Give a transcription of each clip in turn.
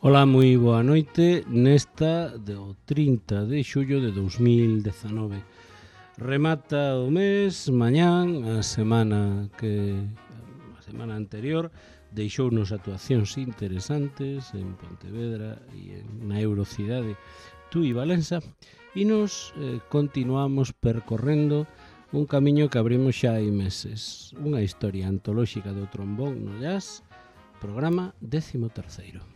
Ola, moi boa noite nesta do 30 de xullo de 2019. Remata o mes, mañán, a semana anterior deixounos actuacións interesantes en Pontevedra e na Eurocidade Tui Valença e nos continuamos percorrendo un camiño que abrimos xa hai meses, unha historia antolóxica do trombón no jazz, programa 13º.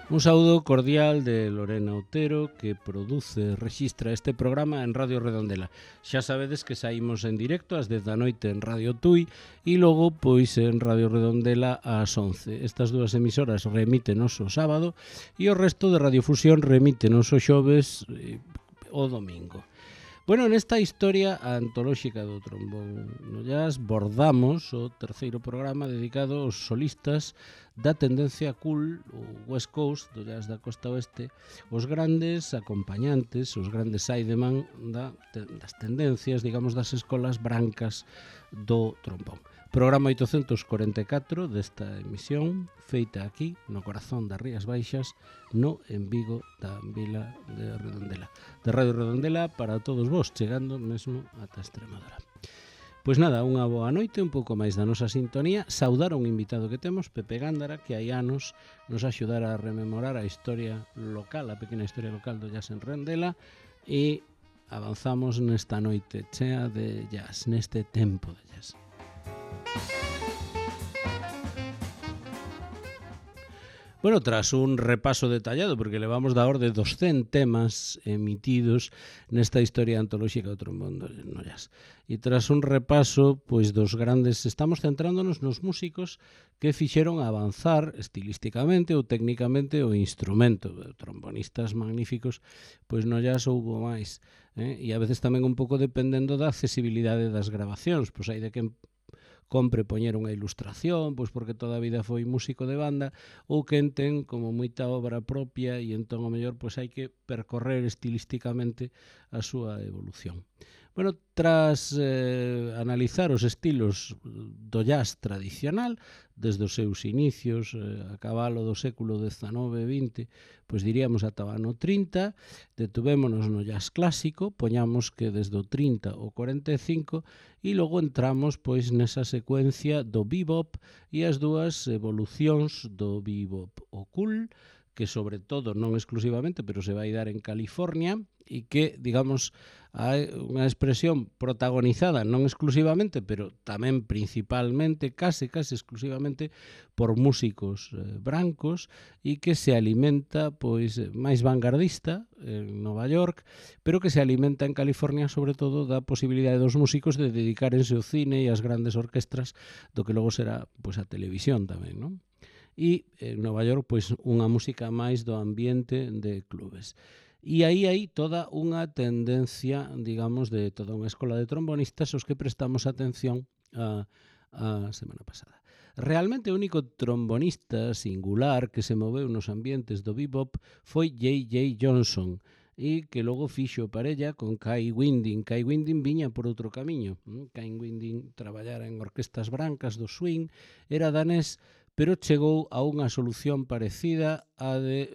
Un saúdo cordial de Lorena Otero, que produce, rexistra este programa en Radio Redondela. Xa sabedes que saímos en directo ás 10 da noite en Radio Tui e logo pois en Radio Redondela ás 11. Estas dúas emisoras remítenos o sábado e o resto de Radiofusión remítenos o xoves o domingo. Bueno, nesta historia antolóxica do trombón no jazz bordamos o terceiro programa dedicado aos solistas da tendencia cool, o West Coast, do jazz da costa oeste, os grandes acompañantes, os grandes sideman das tendencias, digamos, das escolas brancas do trombón. Programa 844 desta emisión, feita aquí, no corazón das Rías Baixas, no en Vigo da vila de Redondela. De Radio Redondela para todos vos, chegando mesmo ata Extremadura. Pois nada, unha boa noite, un pouco máis da nosa sintonía. Saudar a un invitado que temos, Pepe Gándara, que hai anos nos axudara a rememorar a historia local, a pequena historia local do jazz en Redondela, e avanzamos nesta noite chea de jazz, neste tempo de jazz. Bueno, tras un repaso detallado, porque levamos da orde dos 100 temas emitidos nesta historia antolóxica do trombón no jazz. E tras un repaso pois dos grandes, estamos centrándonos nos músicos que fixeron avanzar estilísticamente ou técnicamente o instrumento. Trombonistas magníficos, pois no jazz houbo máis. E a veces tamén un pouco dependendo da accesibilidade das grabacións, pois hai de que compre poñer unha ilustración, pois porque toda a vida foi músico de banda, ou quen ten como moita obra propia e entón o mellor pois hai que percorrer estilísticamente a súa evolución. Bueno, tras analizar os estilos do jazz tradicional, desde os seus inicios, a cabalo do século XIX e XX, pois diríamos ata o ano 30, detuvémonos no jazz clásico, poñamos que desde o 30 ao 45, e logo entramos pois nesa secuencia do bebop e as dúas evolucións do bebop, o cool, que sobre todo, non exclusivamente, pero se vai dar en California, e que, digamos, hai unha expresión protagonizada non exclusivamente, pero tamén principalmente, case exclusivamente, por músicos brancos e que se alimenta pois máis vanguardista en Nova York, pero que se alimenta en California sobre todo da posibilidade dos músicos de dedicarense ao cine e ás grandes orquestras do que logo será pois a televisión tamén, non? E en Nova York pois unha música máis do ambiente de clubes. E aí hai toda unha tendencia, digamos, de toda unha escola de trombonistas aos que prestamos atención a semana pasada. Realmente o único trombonista singular que se moveu nos ambientes do bebop foi J.J. Johnson, e que logo fixo parella con Kai Winding. Kai Winding viña por outro camiño. Kai Winding traballara en orquestas brancas do swing, era danés, pero chegou a unha solución parecida á de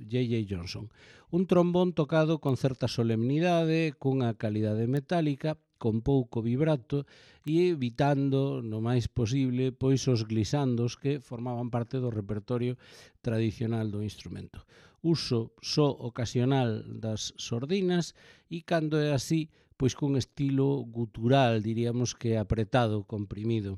J.J. Johnson. Un trombón tocado con certa solemnidade, cunha calidade metálica, con pouco vibrato e evitando no máis posible pois os glisandos que formaban parte do repertorio tradicional do instrumento. Uso só ocasional das sordinas e cando é así, pois cun estilo gutural, diríamos que apretado, comprimido.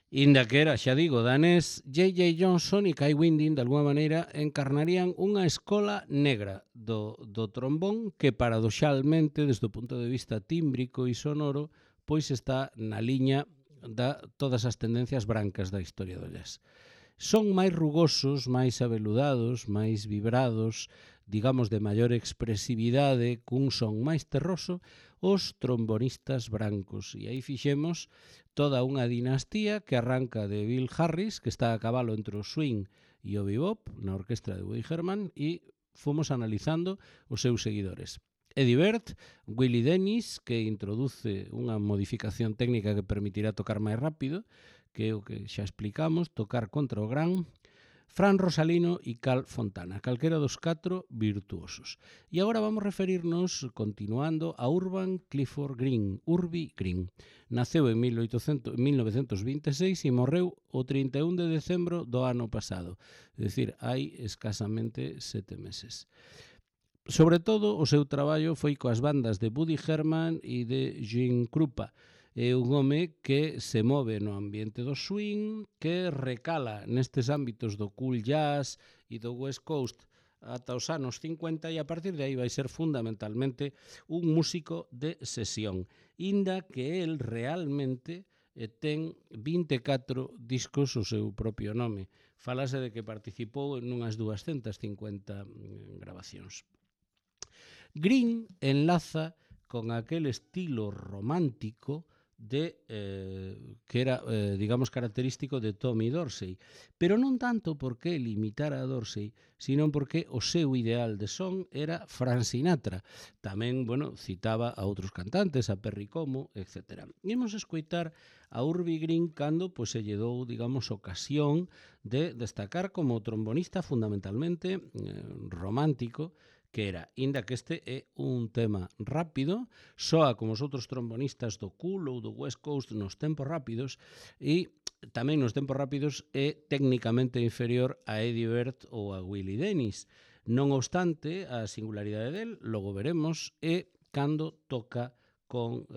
Inda que era, xa digo, danés, J.J. Johnson e Kai Winding, de alguma maneira, encarnarían unha escola negra do trombón que, paradoxalmente, desde o punto de vista tímbrico e sonoro, pois está na liña da todas as tendencias brancas da historia do jazz. Son máis rugosos, máis abeludados, máis vibrados, digamos de maior expresividade, cun son máis terroso, os trombonistas brancos. E aí fixemos toda unha dinastía que arranca de Bill Harris, que está a cabalo entre o swing e o bebop, na orquestra de Woody Herman, e fomos analizando os seus seguidores. Eddie Bird, Willie Dennis, que introduce unha modificación técnica que permitirá tocar máis rápido, que é o que xa explicamos, tocar contra o gran, Fran Rosalino e Cal Fontana, calquera dos 4 virtuosos. E agora vamos referirnos, continuando, a Urban Clifford Green, Urbi Green. Naceu en 1926 e morreu o 31 de decembro do ano pasado, é dicir, hai escasamente 7 meses. Sobre todo, o seu traballo foi coas bandas de Woody Herman e de Gene Krupa. É un home que se move no ambiente do swing, que recala nestes ámbitos do cool jazz e do West Coast ata os anos 50 e a partir de aí vai ser fundamentalmente un músico de sesión, inda que el realmente ten 24 discos o seu propio nome. Falase de que participou en unhas 250 grabacións. Green enlaza con aquel estilo romántico que era, digamos, característico de Tommy Dorsey, pero non tanto porque ele imitara a Dorsey, sino porque o seu ideal de son era Frank Sinatra. Tamén, bueno, citaba a outros cantantes, a Perry Como, etc. Imos escoitar a Urbi Green cando se lle dou, digamos, ocasión de destacar como trombonista fundamentalmente romántico, que era, inda que este é un tema rápido, soa como os outros trombonistas do cool ou do West Coast nos tempos rápidos e tamén nos tempos rápidos é técnicamente inferior a Eddie Bird ou a Willie Dennis. Non obstante, a singularidade del, logo veremos, é cando toca con,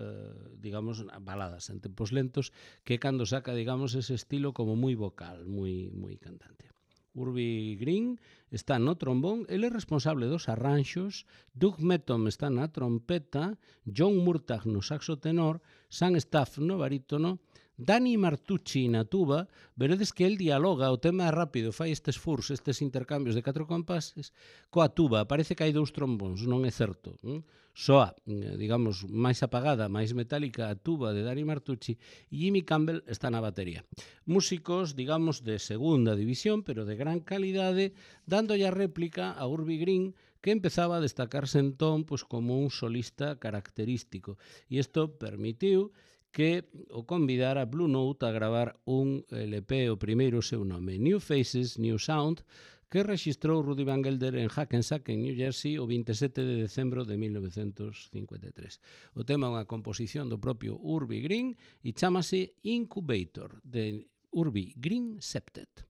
digamos, baladas en tempos lentos, que é cando saca, digamos, ese estilo como moi vocal, moi cantante. Urbi Green está no trombón, ele é responsable dos arranxos, Doug Metom está na trompeta, John Murtagh no saxo tenor, Sam Staff no barítono, Danny Martucci na tuba. Veredes que el dialoga, o tema é rápido, fai estes furs, estes intercambios de 4 compases coa tuba. Parece que hai 2 trombóns, non é certo. Soa, digamos, máis apagada, máis metálica a tuba de Danny Martucci e Jimmy Campbell está na batería. Músicos, digamos, de segunda división, pero de gran calidade, dándolle a réplica a Urbi Green, que empezaba a destacarse entón como un solista característico. E isto permitiu que o convidara Blue Note a gravar un LP, o primeiro seu nome, New Faces, New Sound, que registrou Rudy Van Gelder en Hackensack, en New Jersey, o 27 de decembro de 1953. O tema é unha composición do propio Urbi Green e chámase Incubator, de Urbi Green Septet.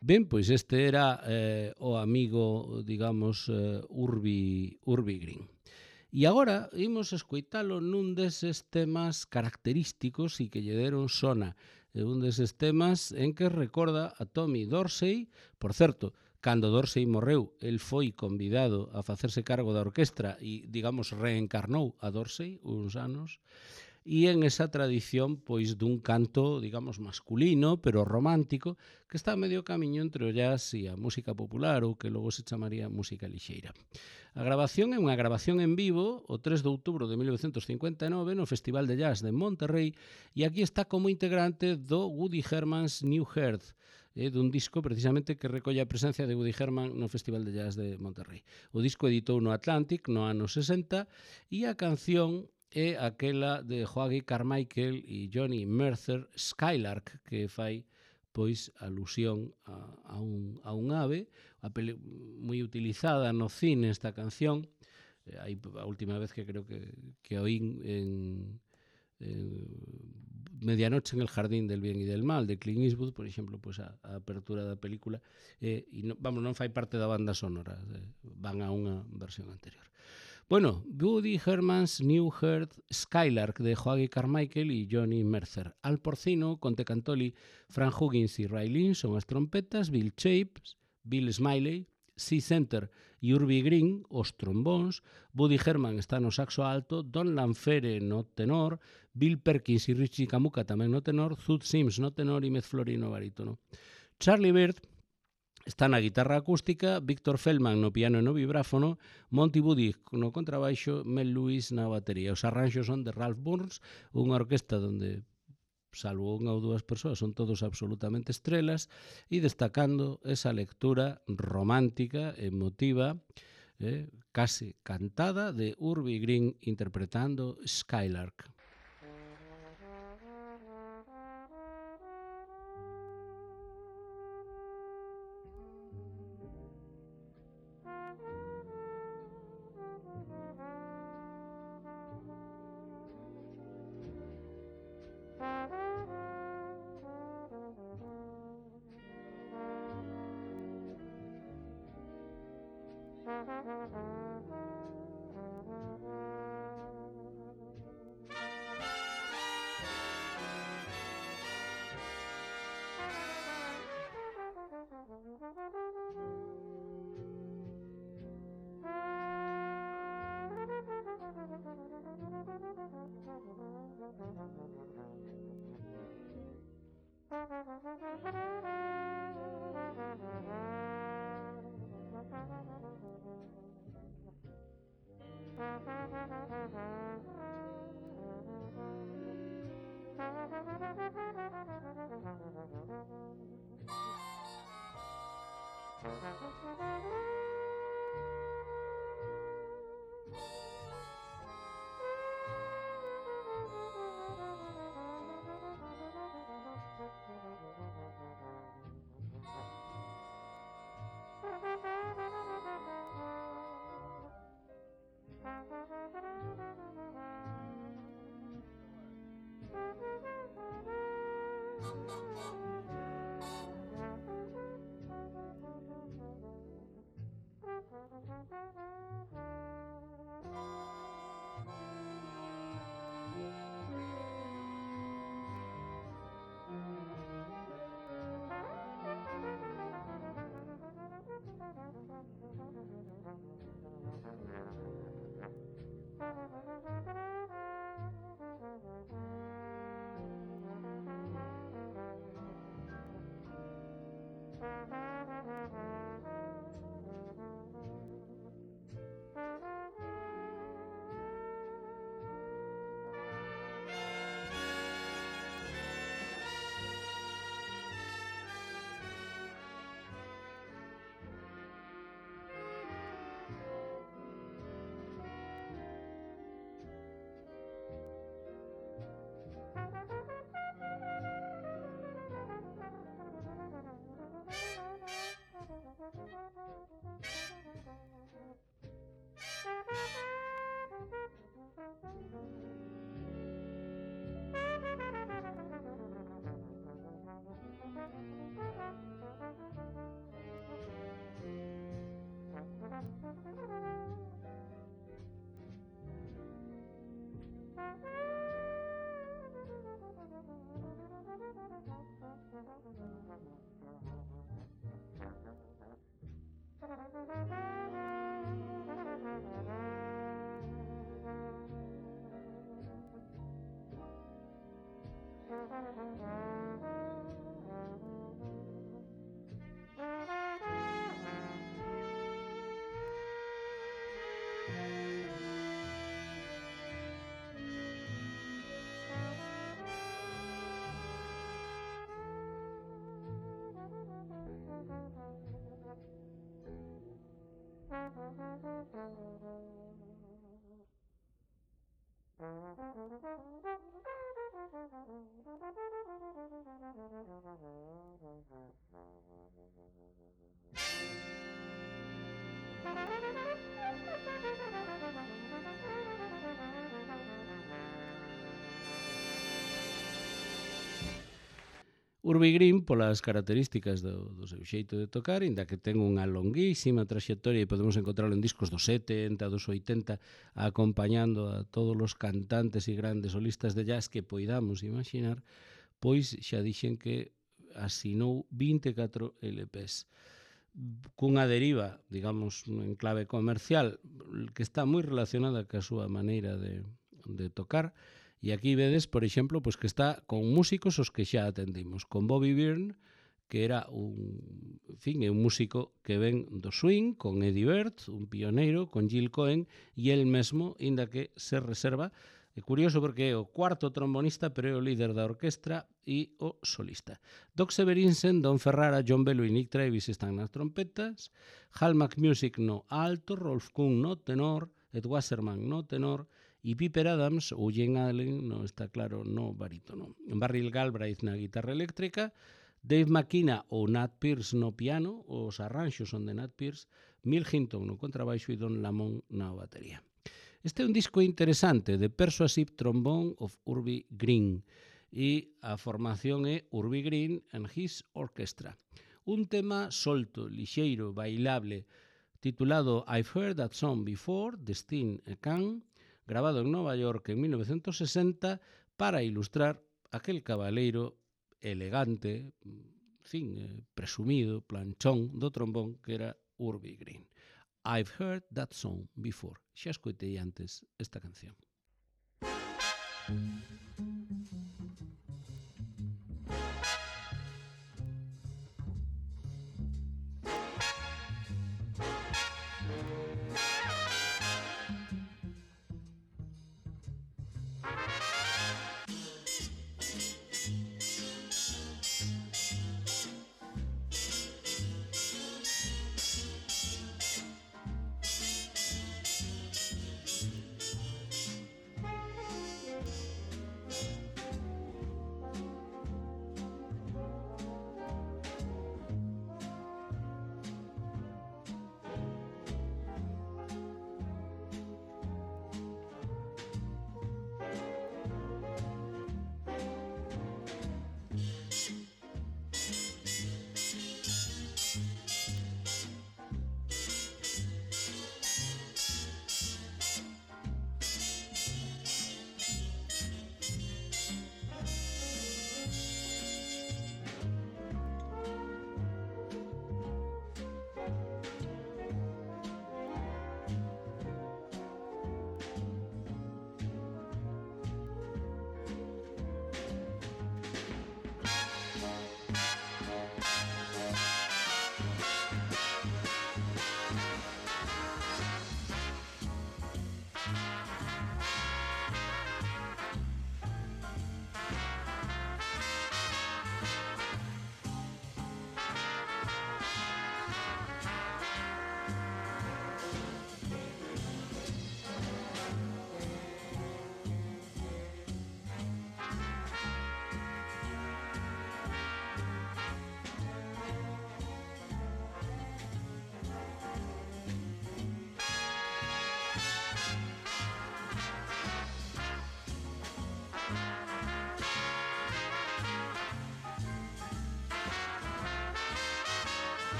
Ben, pois este era o amigo, digamos, Urbi Green. E agora imos escoitalo nun deses temas característicos e que lle deron sona. Un deses temas en que recorda a Tommy Dorsey. Por certo, cando Dorsey morreu, el foi convidado a facerse cargo da orquestra e, digamos, reencarnou a Dorsey uns anos. E en esa tradición pois dun canto, digamos, masculino, pero romántico, que está a medio camiño entre o jazz e a música popular, ou que logo se chamaría música lixeira. A grabación é unha grabación en vivo o 3 de outubro de 1959 no Festival de Jazz de Monterrey, e aquí está como integrante do Woody Herman's New Heart, dun disco precisamente que recolle a presencia de Woody Herman no Festival de Jazz de Monterrey. O disco editou no Atlantic no ano 60 e a canción é aquela de Hoagy Carmichael e Johnny Mercer, Skylark, que fai pois alusión a un ave, moi utilizada no cine esta canción. A última vez que creo que oín en Medianoche en el Jardín del Bien y del Mal, de Clint Eastwood, por exemplo, pois a apertura da película, e non fai parte da banda sonora, van a unha versión anterior. Bueno, Woody Herman's New Heart, Skylark de Hoagy Carmichael e Johnny Mercer. Al Porcino, Conte Cantoli, Fran Huggins e Ray Lynn son as trompetas, Bill Chapes, Bill Smiley, C-Center e Urbi Green, os trombóns, Woody Herman está no saxo alto, Don Lanfere no tenor, Bill Perkins e Richie Camuca tamén no tenor, Zoot Sims no tenor e Mez Florino no barítono. Charlie Bird está na guitarra acústica, Víctor Feldman no piano e no vibráfono, Monty Woody no contrabaixo, Mel Lewis na batería. Os arranxos son de Ralph Burns, unha orquesta onde, salvo unha ou dúas persoas, son todos absolutamente estrelas, e destacando esa lectura romántica, emotiva, case cantada de Urbi Green interpretando Skylark. Urbi Green, polas características do seu xeito de tocar, inda que ten unha longuísima traxectoria e podemos encontrarlo en discos dos 70, dos 80, acompañando a todos os cantantes e grandes solistas de jazz que poidamos imaginar, pois xa dixen que asinou 24 LPs cunha deriva, digamos, en clave comercial, que está moi relacionada ca súa maneira de tocar. E aquí vedes, por exemplo, pues que está con músicos os que xa atendimos, con Bobby Byrne, que era un músico que ven do swing, con Eddie Bird, un pioneiro, con Gil Cohen, e el mesmo, inda que se reserva. É curioso porque é o cuarto trombonista, pero é o líder da orquestra e o solista. Doc Severinsen, Don Ferrara, John Bello e Nick Travis están nas trompetas, Hal McMusick no alto, Rolf Kuhn no tenor, Ed Wasserman no tenor, e Piper Adams ou Jane Allen, non está claro, no barítono. Barry Galbraith na guitarra eléctrica, Dave McKenna ou Nat Pierce no piano, os arranxos son de Nat Pierce, Mill Hinton no contrabaixo e Don Lamont na batería. Este é un disco interesante de Persuasive Trombone of Urbi Green e a formación é Urbi Green and His Orchestra. Un tema solto, lixeiro, bailable, titulado I've Heard That Song Before, de Steen e Khan, grabado en Nova York en 1960 para ilustrar aquel cabaleiro elegante, presumido, planchón do trombón que era Urbi Green. I've Heard That Song Before. Xa escoitei antes esta canción.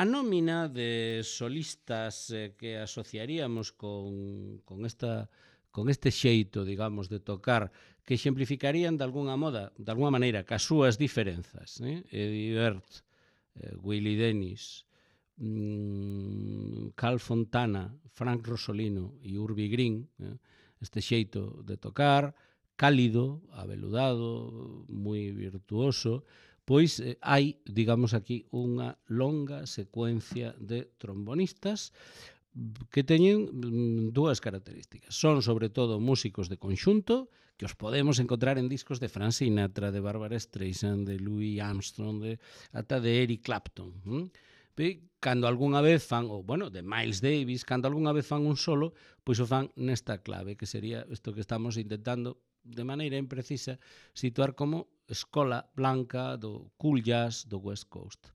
A nómina de solistas que asociaríamos con este xeito, digamos, de tocar, que exemplificarían de alguna maneira, cas súas diferenzas, Eddie Bert, Willie Dennis, Carl Fontana, Frank Rosolino e Urbi Green, este xeito de tocar, cálido, aveludado, moi virtuoso, pois hai, digamos aquí, unha longa secuencia de trombonistas que teñen dúas características. Son, sobre todo, músicos de conxunto, que os podemos encontrar en discos de Frank Sinatra, de Barbara Streisand, de Louis Armstrong, ata de Eric Clapton. Cando algunha vez fan, ou, bueno, de Miles Davis, cando algunha vez fan un solo, pois o fan nesta clave, que sería isto que estamos intentando, de maneira imprecisa, situar como escola blanca do cool jazz do West Coast.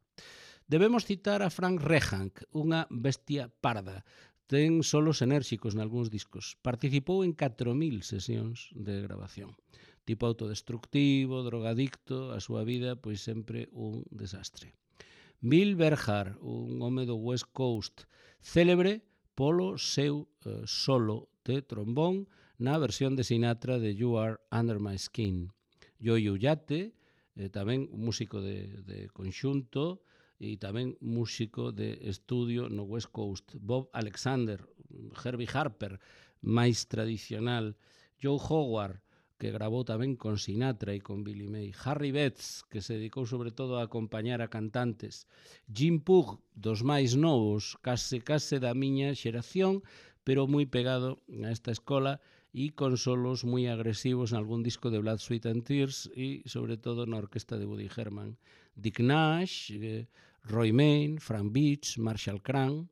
Debemos citar a Frank Rehank, unha bestia parda. Ten solos enérxicos nalgúns discos. Participou en 4.000 sesións de grabación. Tipo autodestructivo, drogadicto, a súa vida pois sempre un desastre. Bill Berhard, un home do West Coast, célebre polo seu solo de trombón na versión de Sinatra de You Are Under My Skin. Yo-Yo Yate, tamén un músico de conxunto, e tamén músico de estudio no West Coast. Bob Alexander, Herbie Harper, máis tradicional. Joe Howard, que grabou tamén con Sinatra e con Billy May. Harry Betts, que se dedicou sobre todo a acompañar a cantantes. Jim Pugh, dos máis novos, case da miña xeración, pero moi pegado a esta escola e con solos moi agresivos en algún disco de Blood, Sweat and Tears e, sobre todo, na orquesta de Woody Herman. Dick Nash, Roy Main, Frank Beach, Marshall Cran,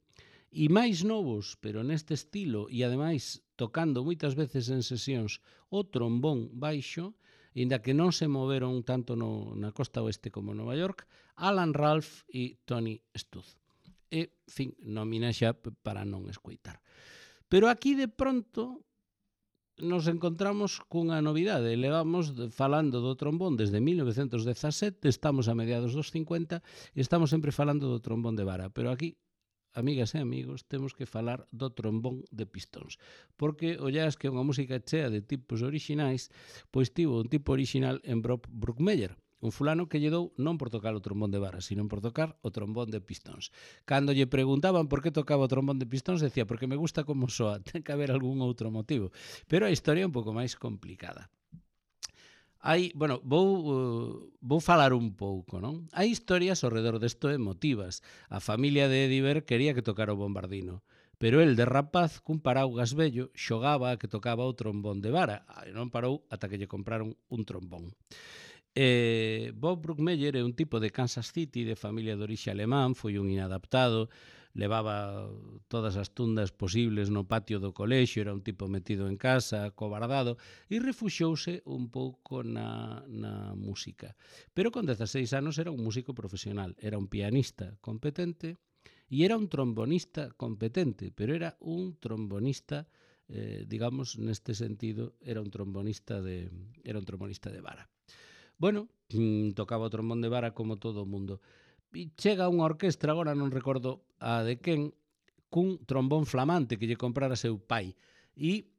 e máis novos, pero neste estilo, e ademais tocando moitas veces en sesións o trombón baixo, inda que non se moveron tanto na costa oeste como en Nova York, Alan Ralph e Tony Stuth. E, fin, nómina xa para non escoitar. Pero aquí, de pronto, nos encontramos cunha novidade. Levamos falando do trombón desde 1917, estamos a mediados dos 50 e estamos sempre falando do trombón de vara. Pero aquí, amigas e amigos, temos que falar do trombón de pistóns. Porque o jazz, que é unha música chea de tipos orixinais, pois tivo un tipo orixinal en Bob Brookmeyer, un fulano que lle dou non por tocar o trombón de vara, sino por tocar o trombón de pistóns. Cando lle preguntaban por que tocaba o trombón de pistóns, decía, porque me gusta como soa, ten que haber algún outro motivo. Pero a historia é un pouco máis complicada. Vou falar un pouco, non? Hai historias ao redor desto emotivas. A familia de Eddie Bert quería que tocara o bombardino, pero el, de rapaz, cun paraugas vello, xogaba a que tocaba o trombón de vara, e non parou ata que lle compraron un trombón. Bob Brookmeyer é un tipo de Kansas City, de familia de orixe alemán, foi un inadaptado, levaba todas as tundas posibles no patio do colexio, era un tipo metido en casa, cobardado, e refuxouse un pouco na música. Pero con 16 anos era un músico profesional, era un pianista competente e era un trombonista competente, pero era un trombonista, digamos, neste sentido, era un trombonista de vara. Bueno, tocaba o trombón de vara como todo o mundo. E chega unha orquestra, agora non recordo a de quen, cun trombón flamante que lle comprara seu pai. E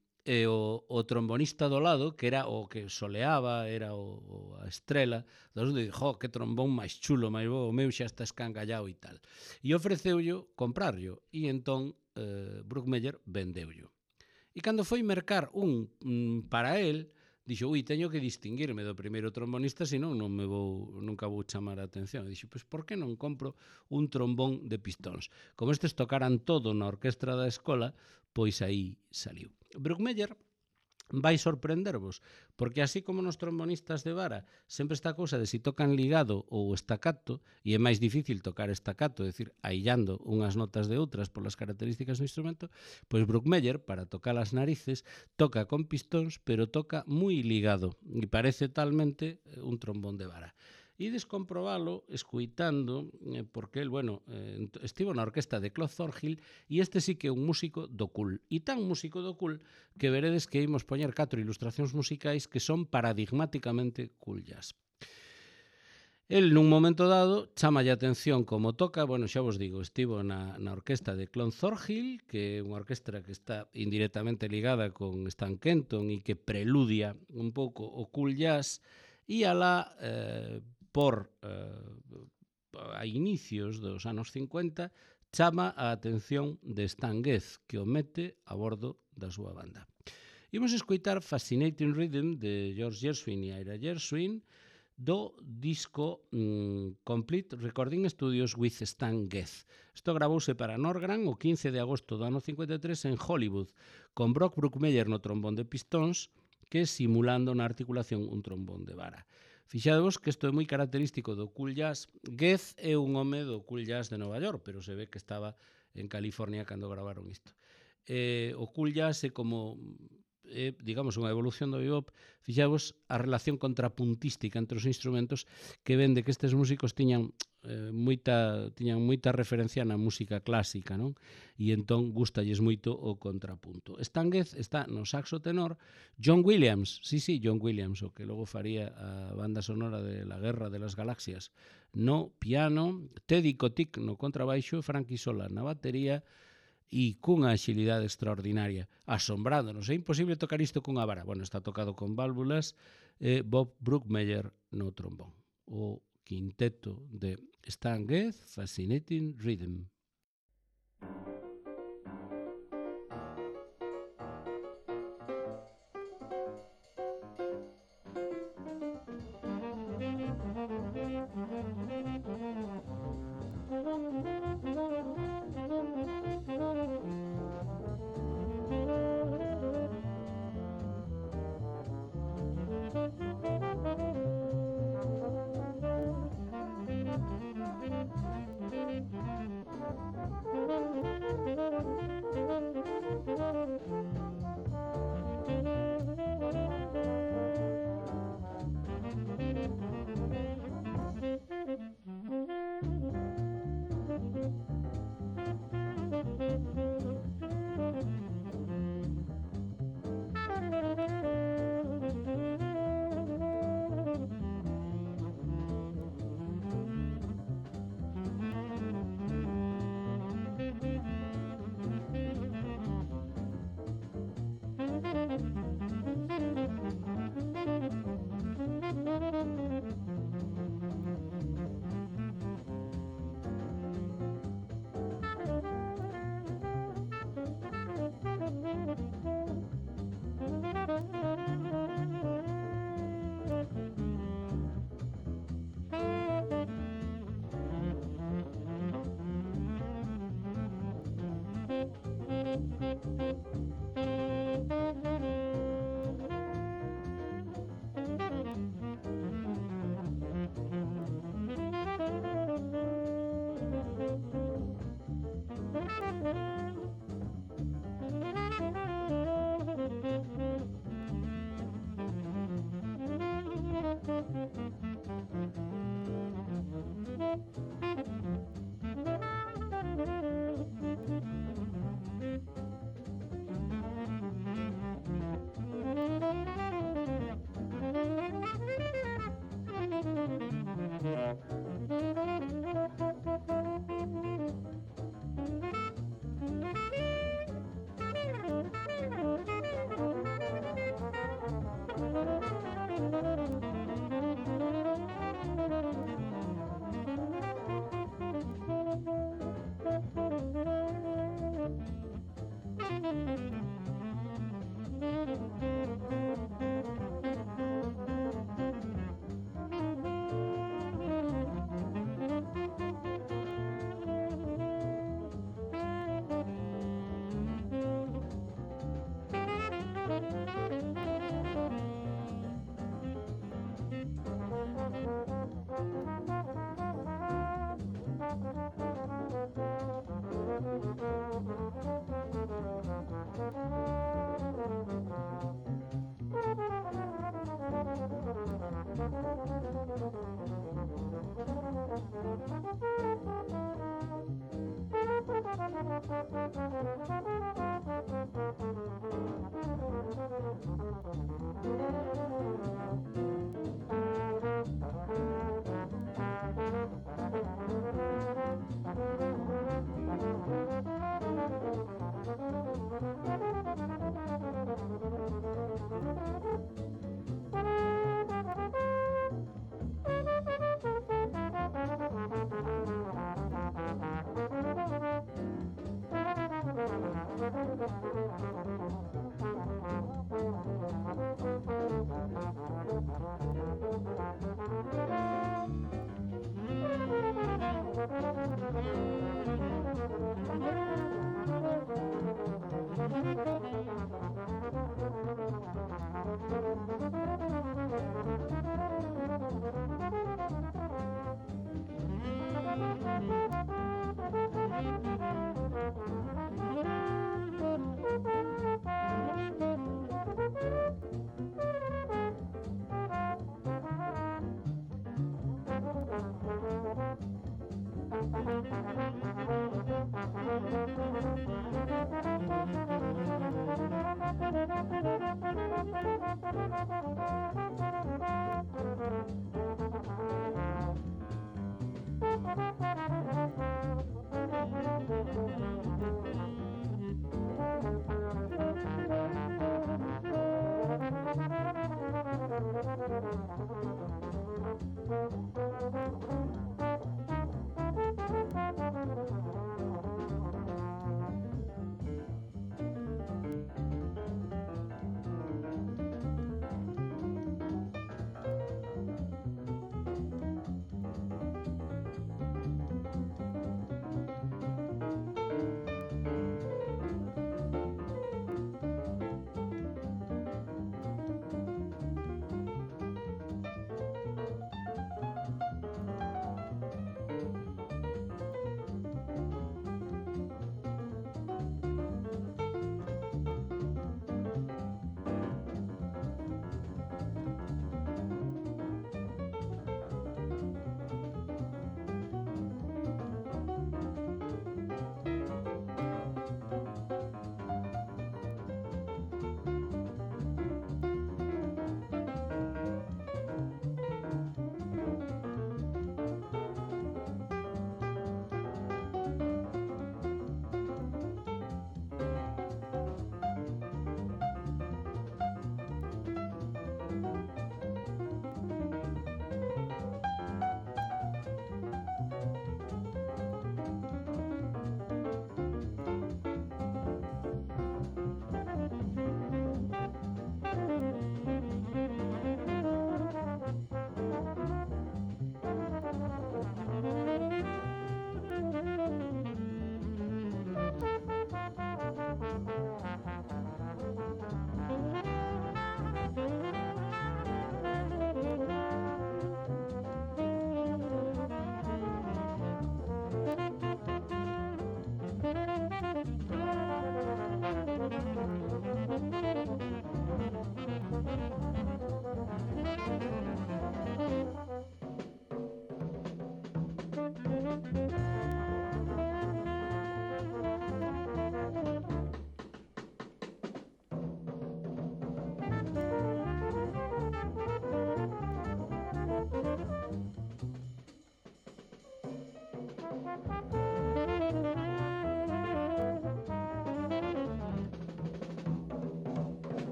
o trombonista do lado, que era o que soleaba, era a estrela, dixo, que trombón máis chulo, máis bo, o meu xa está escangallado e tal. E ofreceullo comprarlo. E entón Brookmeyer vendeullo. E cando foi mercar un para el, dixo, teño que distinguirme do primeiro trombonista, senón nunca vou chamar a atención. E dixo, pois por que non compro un trombón de pistóns? Como estes tocaran todo na orquestra da escola, pois aí saliu. Brookmeyer vai sorprendervos, porque así como nos trombonistas de vara sempre está a cousa de si tocan ligado ou estacato, e é máis difícil tocar estacato, é dicir, aillando unhas notas de outras polas características do instrumento, pois Brookmeyer, para tocar as narices, toca con pistóns, pero toca moi ligado, e parece talmente un trombón de vara. Ides comprobalo escuitando, porque el, estivo na orquesta de Claude Thornhill e este sí que é un músico do cool. E tan músico do cool que veredes que imos poñer 4 ilustracións musicais que son paradigmáticamente cool jazz. El, nun momento dado, chamalle a atención como toca, bueno, xa vos digo, estivo na orquesta de Clonthorhill, que é unha orquestra que está indirectamente ligada con Stan Kenton e que preludia un pouco o cool jazz, e alá, a inicios dos anos 50, chama a atención de Stan Getz, que o mete a bordo da súa banda. Imos escoitar Fascinating Rhythm de George Gershwin e Ira Gershwin, do disco Complete Recording Studios with Stan Getz. Isto gravouse para Norgran o 15 de agosto do ano 53 en Hollywood, con Brock Bruckmeyer no trombón de pistóns, que simulando na articulación un trombón de vara. Fixadevos que isto é moi característico do cool jazz. Getz é un home do cool jazz de Nova York, pero se ve que estaba en California cando gravaron isto. O cool jazz é como digamos, unha evolución do bebop. Fixavos a relación contrapuntística entre os instrumentos, que ven de que estes músicos tiñan moita referencia na música clásica, non? E entón gustalles moito o contrapunto. Stan Getz está no saxo tenor, John Williams, John Williams, o que logo faría a banda sonora de La Guerra de las Galaxias, no piano, Teddy Kotick no contrabaixo, Frankie Sola na batería, e cunha axilidade extraordinaria, asombrándonos. É imposible tocar isto cunha vara. Bueno, está tocado con válvulas, Bob Bruckmeyer no trombón. O quinteto de Stan Getz, Fascinating Rhythm.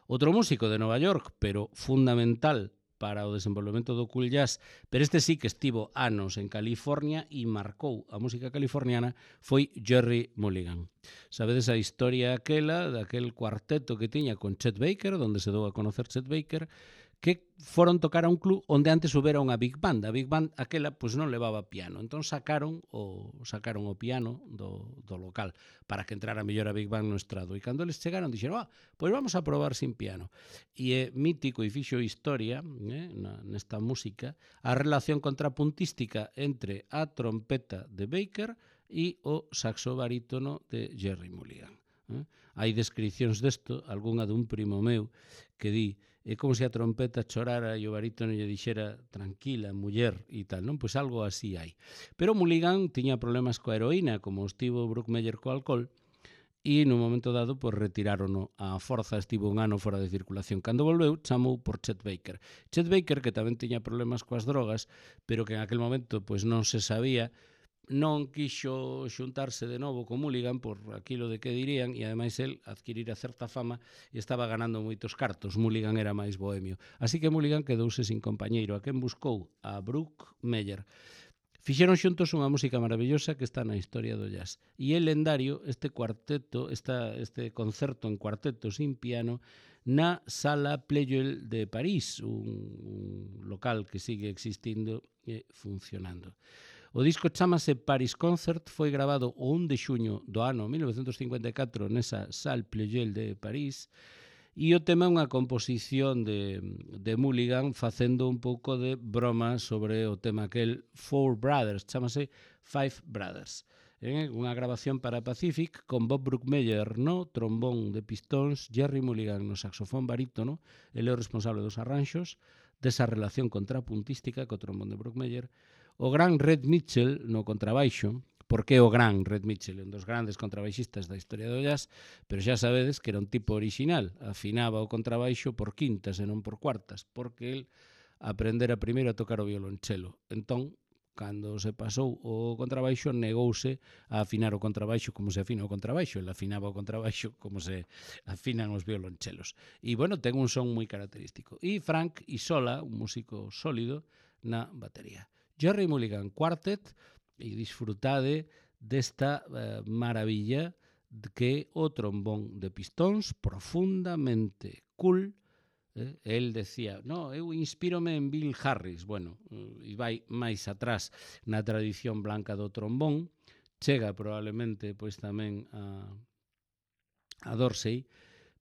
Outro músico de Nova York, pero fundamental para o desenvolvemento do cool jazz, pero este sí que estivo anos en California e marcou a música californiana, foi Gerry Mulligan. Sabedes a historia aquela daquel cuarteto que tiña con Chet Baker, donde se dou a conocer Chet Baker, que foron tocar a un club onde antes houbera unha Big Band. A Big Band aquela pois non levaba piano, entón sacaron o piano do local para que entrara mellor a Big Band no estrado. E cando eles chegaron dixeron, pois vamos a probar sin piano. E é mítico e fixo historia nesta música a relación contrapuntística entre a trompeta de Baker e o saxo barítono de Gerry Mulligan. Hai descripcións desto, algunha dun primo meu que di, é como se a trompeta chorara e o barítono lle dixera tranquila, muller e tal, non? Pois algo así hai. Pero Mulligan tiña problemas coa heroína, como estivo Bruckmeyer co alcohol, e no momento dado pois retirárono a forza, estivo un ano fora de circulación. Cando volveu, chamou por Chet Baker. Chet Baker, que tamén tiña problemas coas drogas, pero que en aquel momento pois non se sabía, non quixo xuntarse de novo con Mulligan por aquilo de que dirían, e ademais el adquirira certa fama e estaba ganando moitos cartos. Mulligan era máis bohemio. Así que Mulligan quedouse sin compañeiro, a quen buscou a Bruckmeyer. Fixeron xuntos unha música maravillosa que está na historia do jazz. E é lendario este cuarteto, este concerto en cuarteto sin piano na Sala Pleyel de París, un local que sigue existindo e funcionando. O disco chamase Paris Concert, foi grabado o 1 de xuño do ano 1954 nesa Salle Pleyel de París, e o tema é unha composición de Mulligan facendo un pouco de broma sobre o tema aquel Four Brothers, chamase Five Brothers. Unha grabación para Pacific con Bob Brookmeyer no trombón de pistóns, Gerry Mulligan no saxofón barítono, ele é o responsable dos arranxos, desa relación contrapuntística co trombón de Brookmeyer, o gran Red Mitchell no contrabaixo, porque o gran Red Mitchell, un dos grandes contrabaixistas da historia do jazz, pero xa sabedes que era un tipo original, afinaba o contrabaixo por quintas e non por cuartas, porque el aprendera primeiro a tocar o violonchelo. Entón, cando se pasou o contrabaixo, negouse a afinar o contrabaixo como se afina o contrabaixo. El afinaba o contrabaixo como se afinan os violonchelos. E, bueno, ten un son moi característico. E Frank Isola, un músico sólido, na batería. Gerry Mulligan Quartet, e disfrutade desta maravilla que o trombón de pistóns profundamente cool. El decía, no, eu inspírome en Bill Harris. Bueno, e vai máis atrás na tradición blanca do trombón, chega probablemente pois tamén a Dorsey,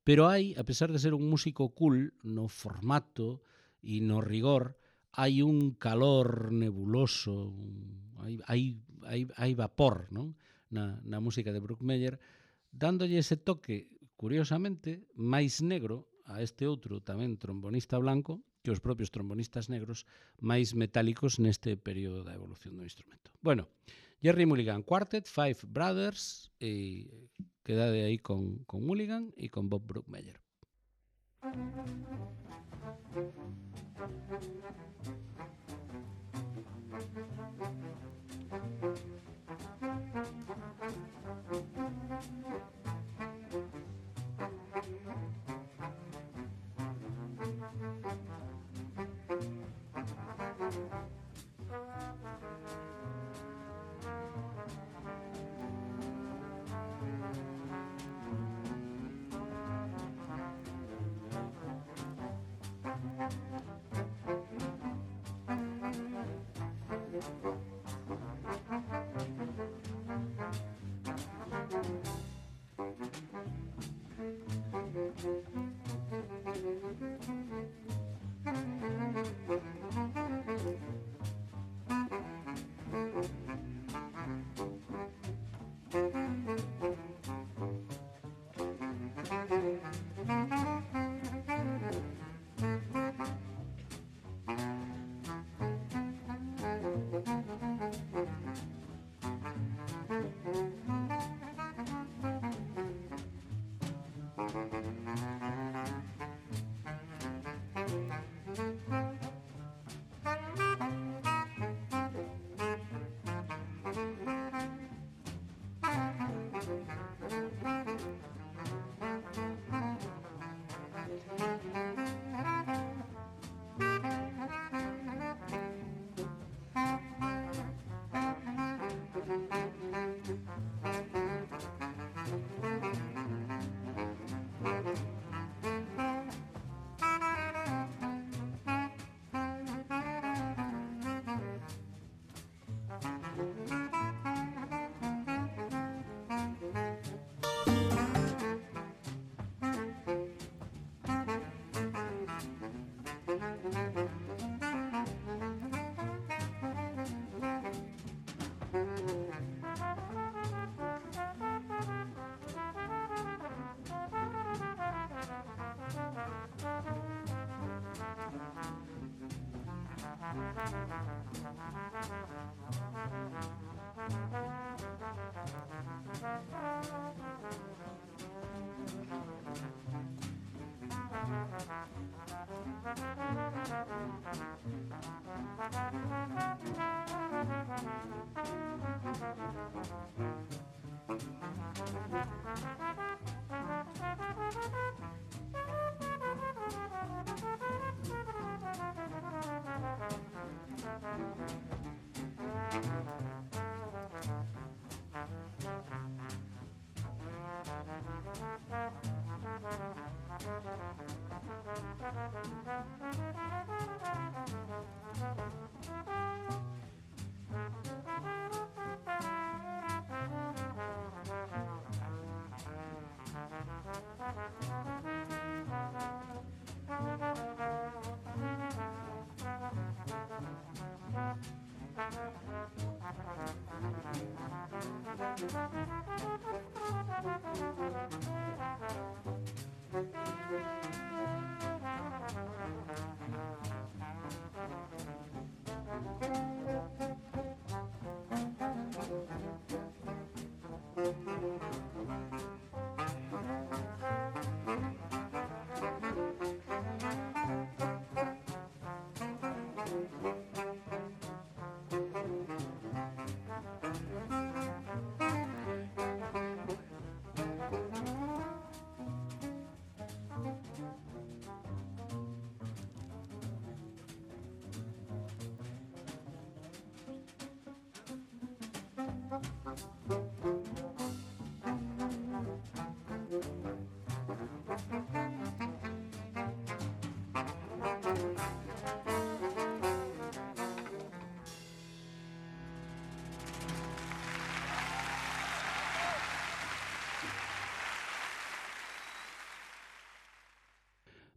pero hai, a pesar de ser un músico cool no formato e no rigor, hai un calor nebuloso, hai vapor, non? Na música de Brookmeyer, dándolle ese toque, curiosamente, máis negro a este outro tamén trombonista blanco que os propios trombonistas negros máis metálicos neste período da evolución do instrumento. Bueno, Gerry Mulligan Quartet, Five Brothers, e quedade aí con Mulligan e con Bob Brookmeyer.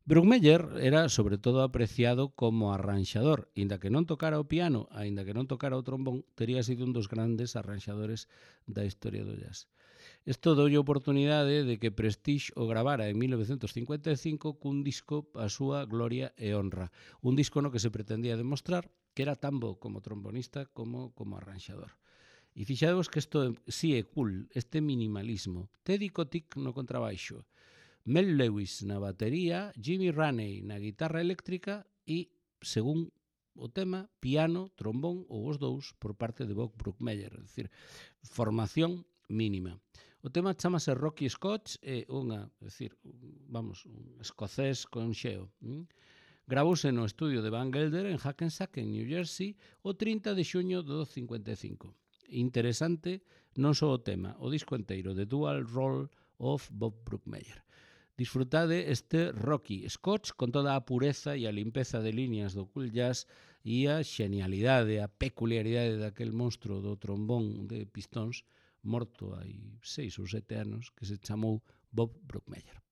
Bruckmeier era sobre todo apreciado como arranxador, inda que non tocara o piano, aínda que non tocara o trombón, tería sido un dos grandes arranxadores da historia do jazz. Isto doulle oportunidade de que Prestige o gravara en 1955 cun disco a súa gloria e honra, un disco no que se pretendía demostrar que era tan bo como trombonista como arranxador. E fixadevos que isto sí é cool, este minimalismo. Teddy Kotick no contrabaixo, Mel Lewis na batería, Jimmy Raney na guitarra eléctrica e, según o tema, piano, trombón ou os dous por parte de Bob Bruckmeier, é dicir, formación mínima. O tema chamase Rocky Scotch, é unha, é dicir, vamos, un escocés con xeo. Gravouse no estudio de Van Gelder en Hackensack, en New Jersey, o 30 de xuño do 55. Interesante non só o tema, o disco enteiro, The Dual Role of Bob Bruckmeier. Disfrutade este Rocky Scotch con toda a pureza e a limpeza de líneas do cool jazz e a xenialidade, a peculiaridade daquel monstro do trombón de pistóns morto hai 6 ou 7 anos que se chamou Bob Bruckmeier.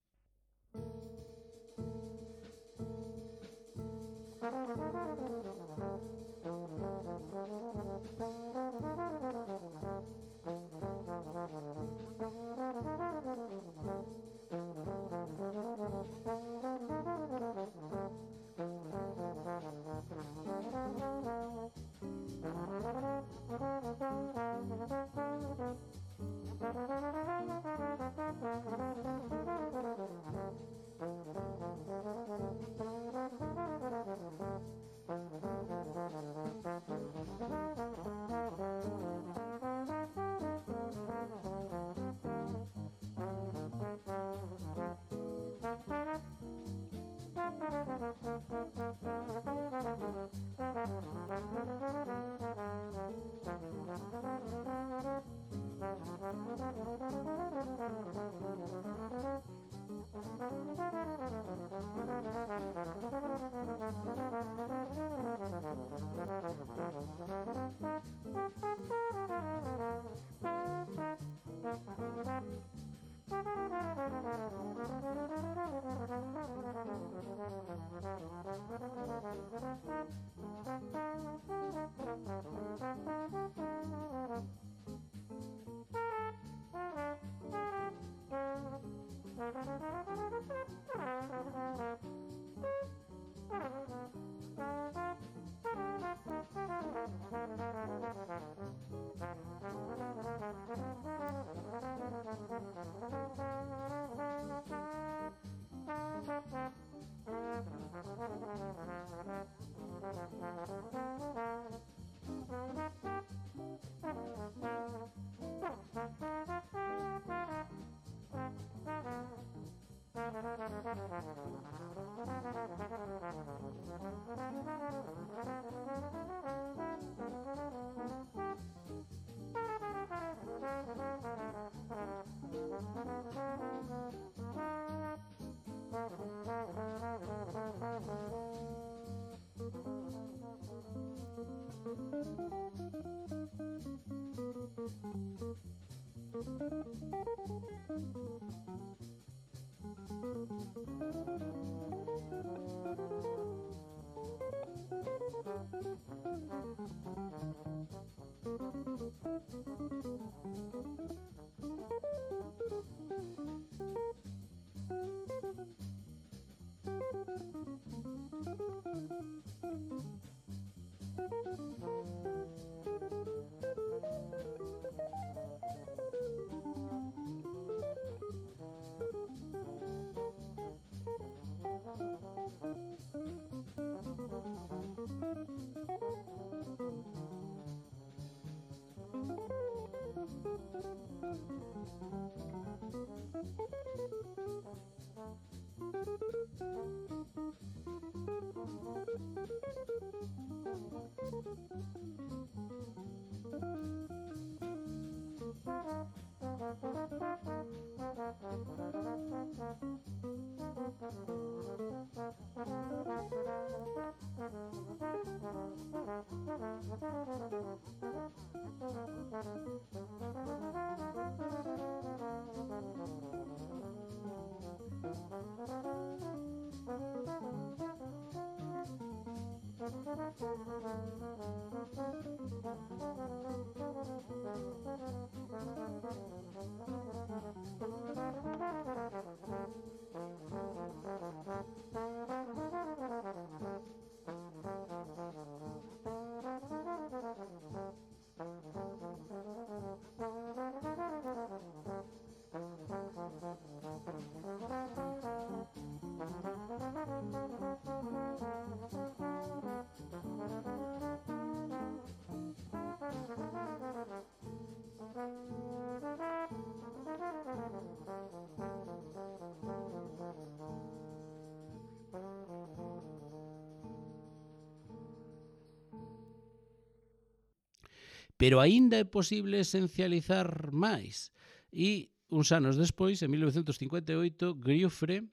Pero aínda é posible esencializar máis. E uns anos despois, en 1958, Giuffre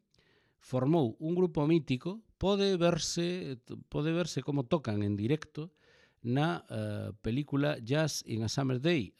formou un grupo mítico, pode verse como tocan en directo na película Jazz in a Summer Day,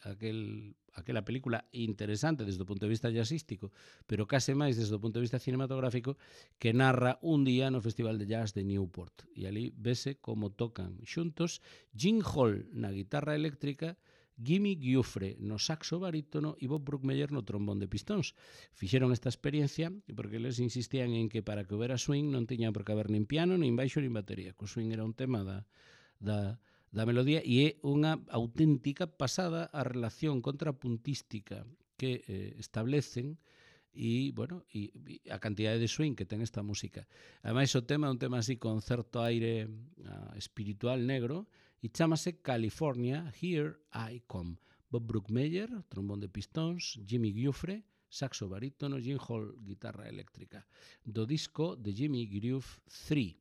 aquela película interesante desde o punto de vista jazzístico, pero case máis desde o punto de vista cinematográfico, que narra un día no Festival de Jazz de Newport. E ali vese como tocan xuntos Gene Hall na guitarra eléctrica, Jimmy Giuffre no saxo barítono e Bob Brookmeyer no trombón de pistóns. Fixeron esta experiencia porque eles insistían en que para que houbera swing non tiña por que haber nin piano, nin baixo, nin batería. O swing era un tema da melodía e é unha auténtica pasada a relación contrapuntística que establecen e, bueno, e a cantidade de swing que ten esta música. Ademais, o tema é un tema así con certo aire espiritual negro e chámase California, Here I Come. Bob Brookmeyer, trombón de pistóns, Jimmy Giuffre, saxo barítono, Gene Hall, guitarra eléctrica, do disco de Jimmy Groove 3.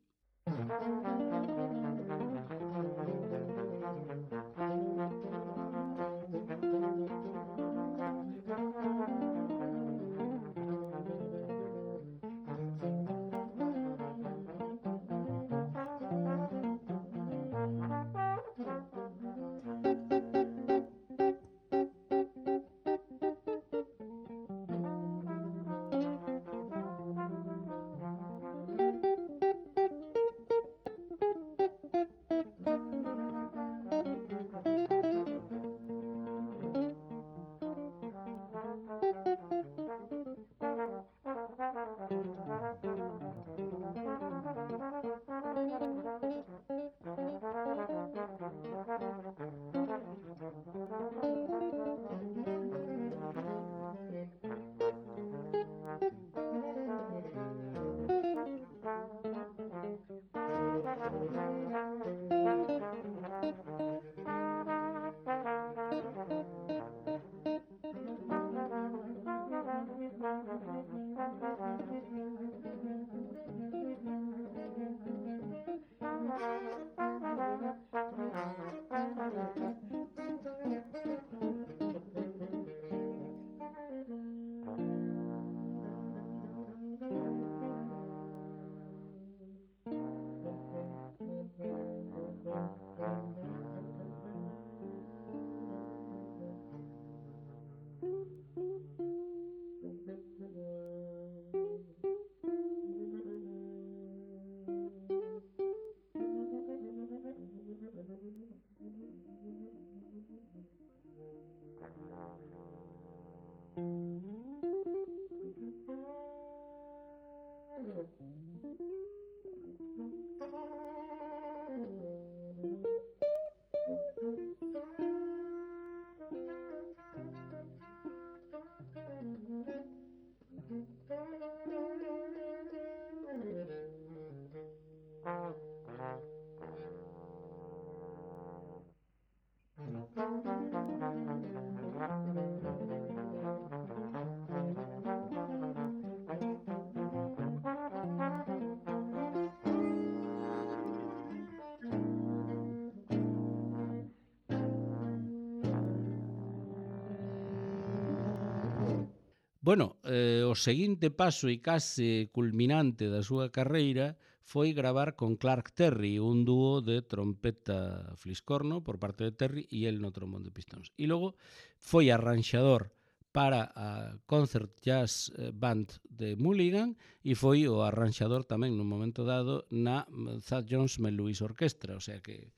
Bueno, o seguinte paso e case culminante da súa carreira foi gravar con Clark Terry, un dúo de trompeta fliscorno por parte de Terry e el no trombón de pistóns. E logo foi arranxador para a Concert Jazz Band de Mulligan e foi o arranxador tamén nun momento dado na Thad Jones Mel Lewis Orquestra, o sea que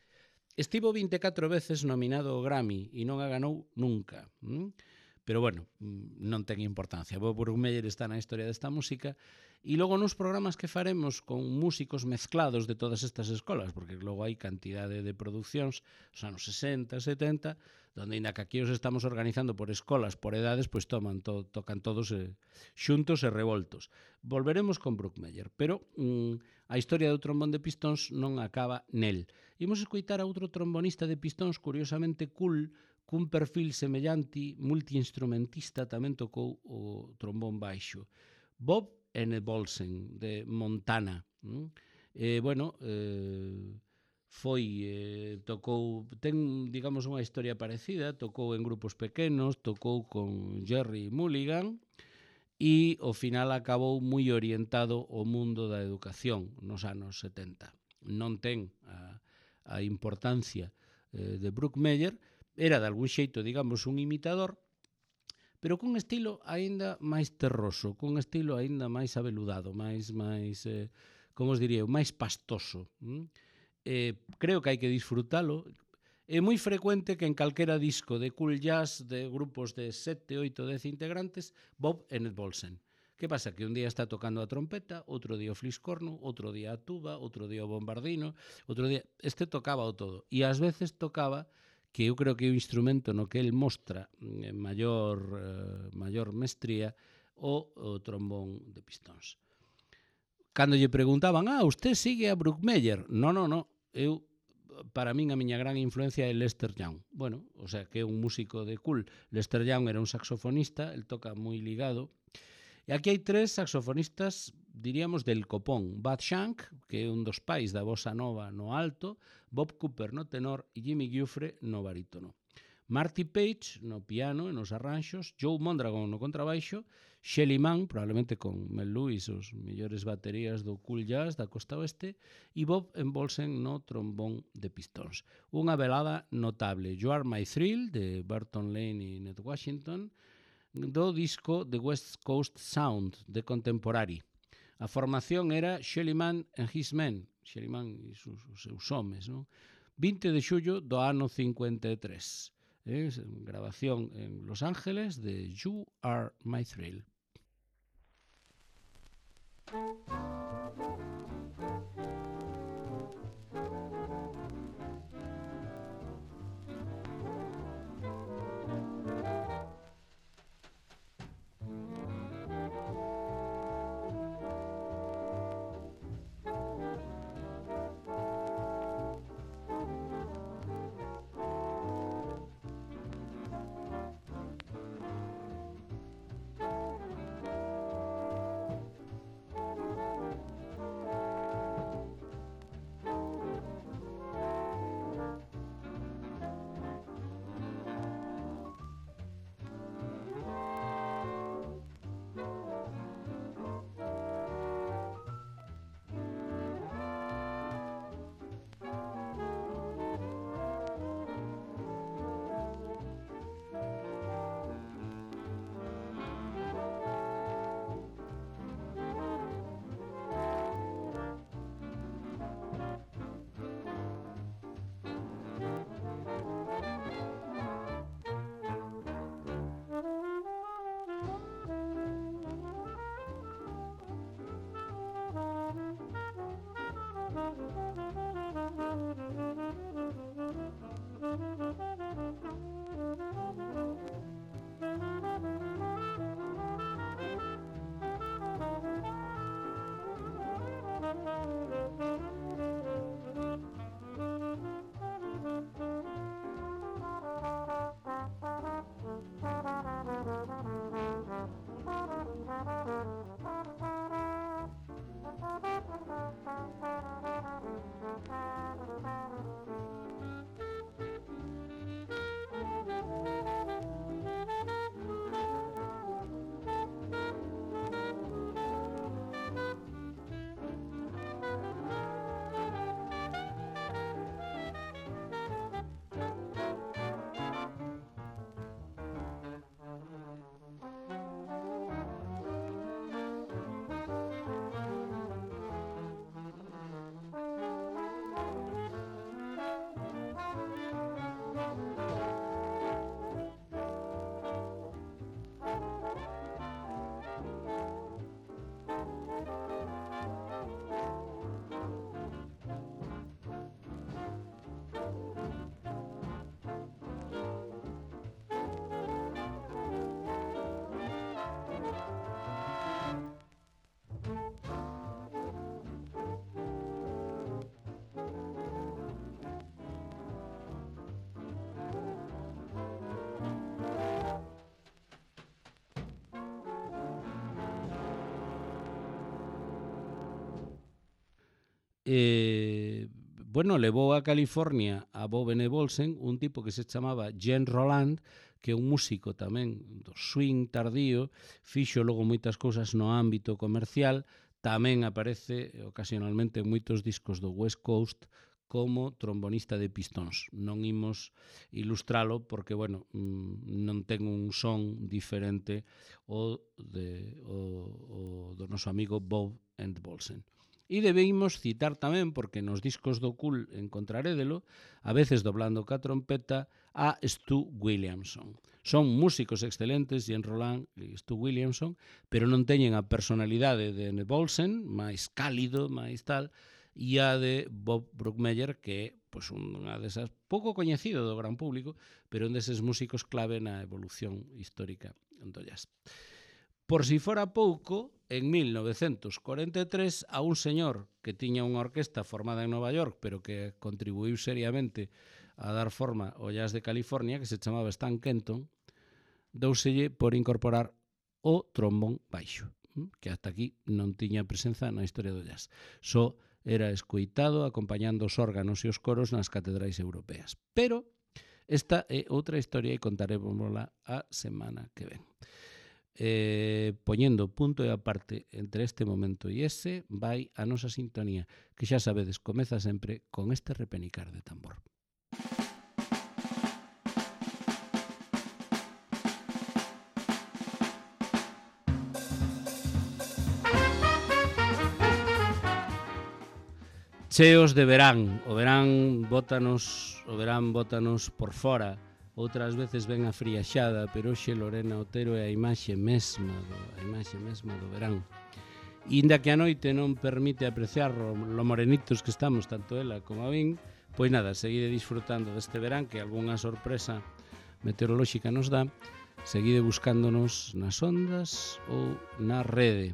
estivo 24 veces nominado ao Grammy e non a ganou nunca. Pero bueno, non ten importancia. Bob Brookmeyer está na historia desta música e logo nos programas que faremos con músicos mezclados de todas estas escolas, porque logo hai cantidade de produccións, os anos 60, 70, donde ainda que aquí os estamos organizando por escolas, por edades, pois tocan todos xuntos e revoltos. Volveremos con Brookmeyer, pero a historia do trombón de pistóns non acaba nel. Imos escoitar a outro trombonista de pistóns curiosamente cool, cun perfil semellante, multiinstrumentista, tamén tocou o trombón baixo. Bob Enebolsen, de Montana. Tocou, ten, digamos, unha historia parecida, tocou en grupos pequenos, tocou con Jerry Mulligan, e ao final acabou moi orientado ao mundo da educación nos anos 70. Non ten a importancia de Brookmeyer, era de algún xeito, digamos, un imitador, pero cun estilo aínda máis terroso, cun estilo aínda máis abeludado, máis como os diría, máis pastoso. Creo que hai que disfrutalo. É moi frecuente que en calquera disco de cool jazz de grupos de 7, 8, 10 integrantes, Bob Enebolsen. Que pasa? Que un día está tocando a trompeta, outro día o fliscorno, outro día a tuba, outro día o bombardino, outro día... Este tocaba o todo. E ás veces tocaba, que eu creo que é o instrumento no que el mostra maior mestría, o trombón de pistóns. Cando lle preguntaban, usted sigue a Brookmeyer? No, eu, para min, a miña gran influencia é Lester Young. Bueno, o sea, que é un músico de cool. Lester Young era un saxofonista, el toca moi ligado. E aquí hai 3 saxofonistas, diríamos, del copón. Bud Shank, que é un dos pais da bossa nova no alto, Bob Cooper no tenor e Jimmy Giuffre no barítono. Marty Page no piano e nos arranxos, Joe Mondragon no contrabaixo, Shelly Manne, probablemente con Mel Lewis, os mellores baterías do cool jazz da costa oeste, e Bob Enebolsen no trombón de pistóns. Unha velada notable, You Are My Thrill, de Burton Lane e Ned Washington, do disco The West Coast Sound, de Contemporary. A formación era Shelly Manne and His Men, Shelly Manne e os seus homes, non? 20 de xullo do ano 53. Grabación en Los Ángeles de You Are My Thrill. bueno, levou a California a Bob N. Bolsen, un tipo que se chamaba Jean Roland, que é un músico tamén do swing tardío, fixo logo moitas cousas no ámbito comercial, tamén aparece ocasionalmente en moitos discos do West Coast como trombonista de pistóns. Non imos ilustralo porque, bueno, non ten un son diferente o do noso amigo Bob and Bolsen. E debemos citar tamén, porque nos discos do Cool encontrarédelo, a veces doblando ca trompeta, a Stu Williamson. Son músicos excelentes, Jean Roland e Stu Williamson, pero non teñen a personalidade de N. Bolsen, máis cálido, máis tal, e a de Bob Brookmeyer, que é pois, unha desas pouco coñecido do gran público, pero un deses músicos clave na evolución histórica do jazz. Por si fora pouco, en 1943, a un señor que tiña unha orquesta formada en Nova York, pero que contribuiu seriamente a dar forma ao jazz de California, que se chamaba Stan Kenton, douselle por incorporar o trombón baixo, que hasta aquí non tiña presenza na historia do jazz. Só era escoitado acompañando os órganos e os coros nas catedrais europeas. Pero esta é outra historia e contarémosla a semana que ven. Poñendo punto e aparte entre este momento e ese, vai a nosa sintonía, que xa sabedes, comeza sempre con este repenicar de tambor. Cheos de verán, o verán bótanos por fora, outras veces ben afriaxada, pero hoxe Lorena Otero é a imaxe mesma do verán. E inda que a noite non permite apreciar lo morenitos que estamos, tanto ela como a min, pois nada, seguide disfrutando deste verán, que algunha sorpresa meteorolóxica nos dá, seguide buscándonos nas ondas ou na rede.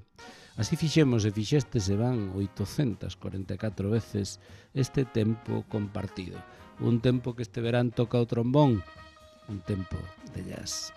Así fixemos e fixeste se van 844 veces este tempo compartido. Un tempo que este verán toca o trombón, un tempo de jazz.